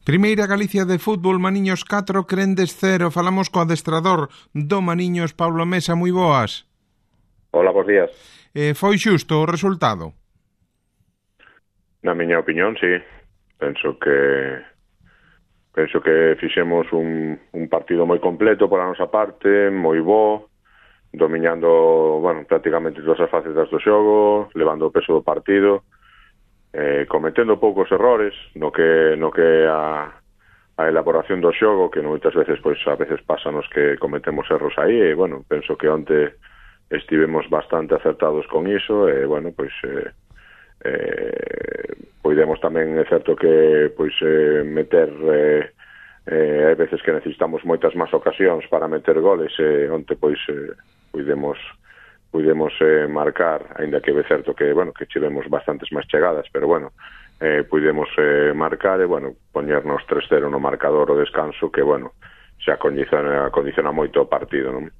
Primeira Galicia de fútbol, Maniños 4, Crendes 0. Falamos co adestrador do Maniños, Pablo Mesa, moi boas. Hola, bons días. Foi xusto o resultado? Na miña opinión, sí. Penso que fixemos un partido moi completo pola nosa parte, moi bo, dominando, prácticamente todas as facetas do xogo, levando o peso do partido, cometendo poucos errores no que a elaboración do xogo, que moitas veces, a veces pásanos que cometemos erros aí, e, penso que onte estivemos bastante acertados con iso, e, podemos tamén, é certo que, meter, hai veces que necesitamos moitas máis ocasións para meter goles, e onte, pudemos marcar, aínda que é certo que tivemos bastantes máis chegadas, pero pudemos marcar e poñernos 3-0 no marcador o descanso, que xa condiciona moito o partido, non?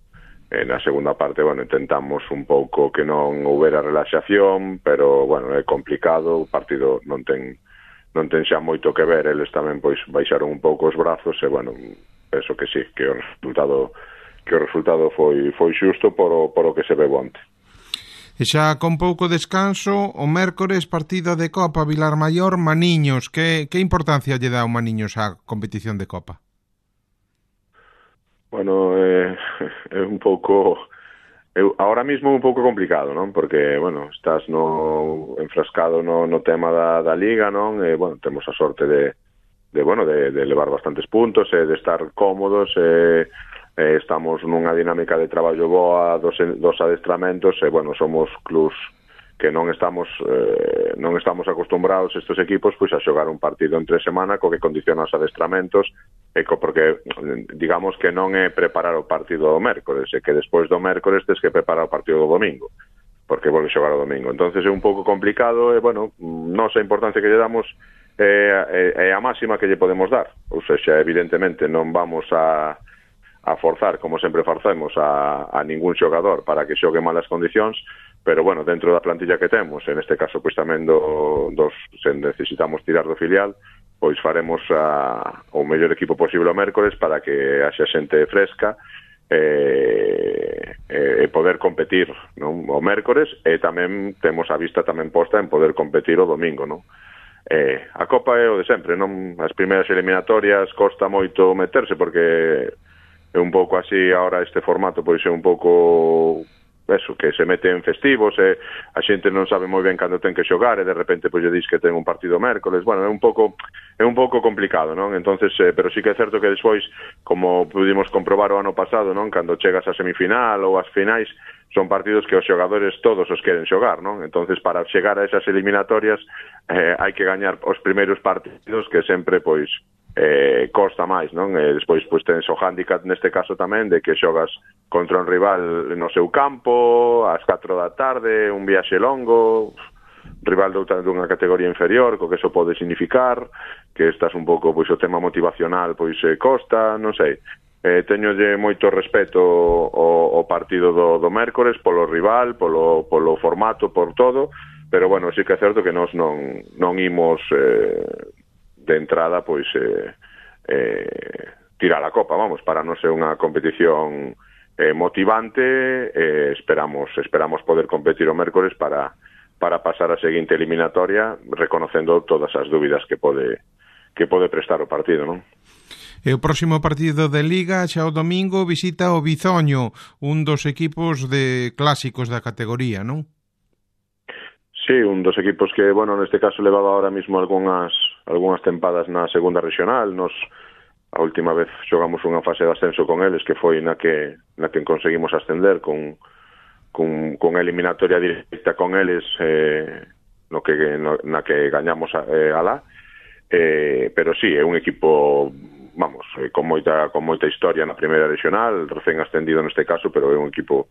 Na segunda parte, intentamos un pouco que non houbera relaxación, pero é complicado, o partido non ten xa moito que ver, eles tamén baixaron un pouco os brazos e penso que sí, que o resultado foi xusto por o que se ve onte. E xa con pouco descanso, o mércores partido de Copa, Vilar Maior, Maniños. Que importancia lle dá o Maniños á competición de Copa? É un pouco... ahora mismo un pouco complicado, non? Porque, estás enfrascado no tema da Liga, non? E, temos a sorte de levar bastantes puntos e de estar cómodos e estamos nunha dinámica de traballo boa dos adestramentos e, somos clubs que non estamos acostumbrados estes equipos a xogar un partido entre semana co que condiciona os adestramentos porque digamos que non é preparar o partido do mércores, e que despois do mércores tens que preparar o partido do domingo porque volve xogar o domingo, entonces é un pouco complicado e nosa importancia que lle damos é a máxima que lle podemos dar, ou seja, evidentemente non vamos a forzar, como sempre facemos, a ningún xogador para que xogue malas condicións, pero, dentro da plantilla que temos, en este caso, tamén se necesitamos tirar do filial, faremos o mellor equipo posible o mércores para que haxa xente fresca e poder competir, non? O mércores, e tamén temos a vista tamén posta en poder competir o domingo, non? A Copa é o de sempre, non? As primeiras eliminatorias costa moito meterse porque é un pouco así, ahora este formato é un pouco eso, que se mete en festivos e a xente non sabe moi ben cando ten que xogar e de repente lle dis que ten un partido mércoles, é un pouco complicado, non? Entonces, pero sí que é certo que despois, como pudimos comprobar o ano pasado, non? Cando chegas a semifinal ou as finais, son partidos que os xogadores todos os queren xogar, non? Entonces, para chegar a esas eliminatorias hai que gañar os primeiros partidos, que sempre, costa máis, non? E despois, tens o hándicap neste caso tamén de que xogas contra un rival no seu campo ás 4 da tarde, un viaxe longo, rival dunha categoría inferior, co que eso pode significar que estás un pouco, o tema motivacional costa, non sei. Teñolle moito respeto o partido do mércores polo rival, polo formato, por todo, pero sí que é certo que nós non imos de entrada tirar a Copa, para non ser unha competición motivante, esperamos poder competir o mércores para pasar a seguinte eliminatoria reconocendo todas as dúbidas que pode prestar o partido, non? E o próximo partido de Liga, xa o domingo, visita o Bizoño, un dos equipos de clásicos da categoría, non? Sí, un dos equipos que, neste caso levaba ahora mismo algunhas tempadas na segunda regional. Nos a última vez xogamos unha fase de ascenso con eles, que foi na que conseguimos ascender con eliminatoria directa con eles, na que gañamos alá. Pero sí, é un equipo con moita historia na primeira regional, recén ascendido neste caso, pero é un equipo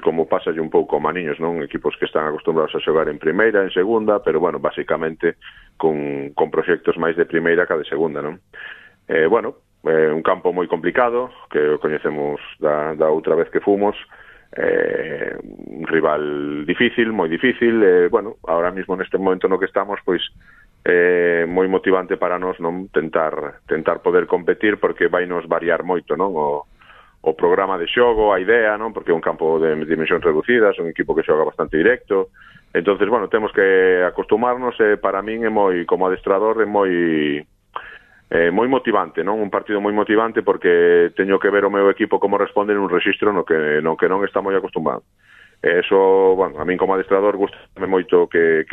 como pasa un pouco a Maniños, non? Equipos que están acostumbrados a xogar en primeira, en segunda, pero, basicamente con proxectos máis de primeira que de segunda, non? Un campo moi complicado, que o coñecemos da outra vez que fomos, un rival difícil, moi difícil, ahora mismo neste momento no que estamos, moi motivante para nós, non, tentar poder competir, porque vai nos variar moito, non, o programa de xogo, a idea, non, porque é un campo de dimensións reducidas, un equipo que xoga bastante directo. Entonces, bueno, temos que acostumarnos, e para min é moi, como adestrador, é moi motivante, non? Un partido moi motivante, porque teño que ver o meu equipo como responde nun rexistro no que non está moi acostumado. Eso, bueno, a min como adestrador gustame moito que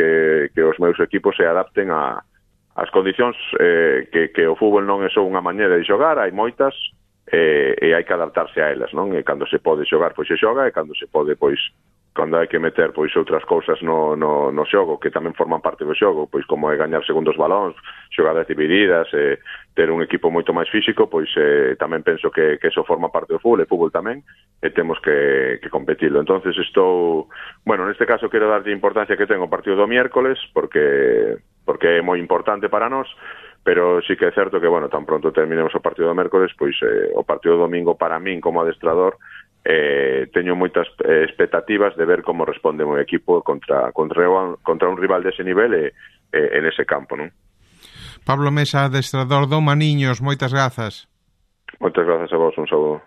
os meus equipos se adapten ás condicións, que o fútbol non é só unha maneira de xogar, hai moitas, e hai que adaptarse a elas, non? E cando se pode xogar, pois se xoga, e cando se pode, pois, cando hai que meter, pois, outras cousas no xogo, que tamén forman parte do xogo, pois, como é gañar segundos balóns, xogadas divididas, ter un equipo moito máis físico, pois, tamén penso que eso forma parte do fútbol, e fútbol tamén, e temos que competirlo. Entonces bueno, neste caso quero darlle importancia que ten o partido do miércoles, porque é moi importante para nós, pero sí que é certo que, bueno, tan pronto terminemos o partido do mércoles, pois o partido do domingo para min como adestrador, teño moitas expectativas de ver como responde o meu equipo contra un rival dese nivel e nese campo, non? Pablo Mesa, adestrador do Maniños, moitas grazas. Moitas grazas a vos, un saúdo.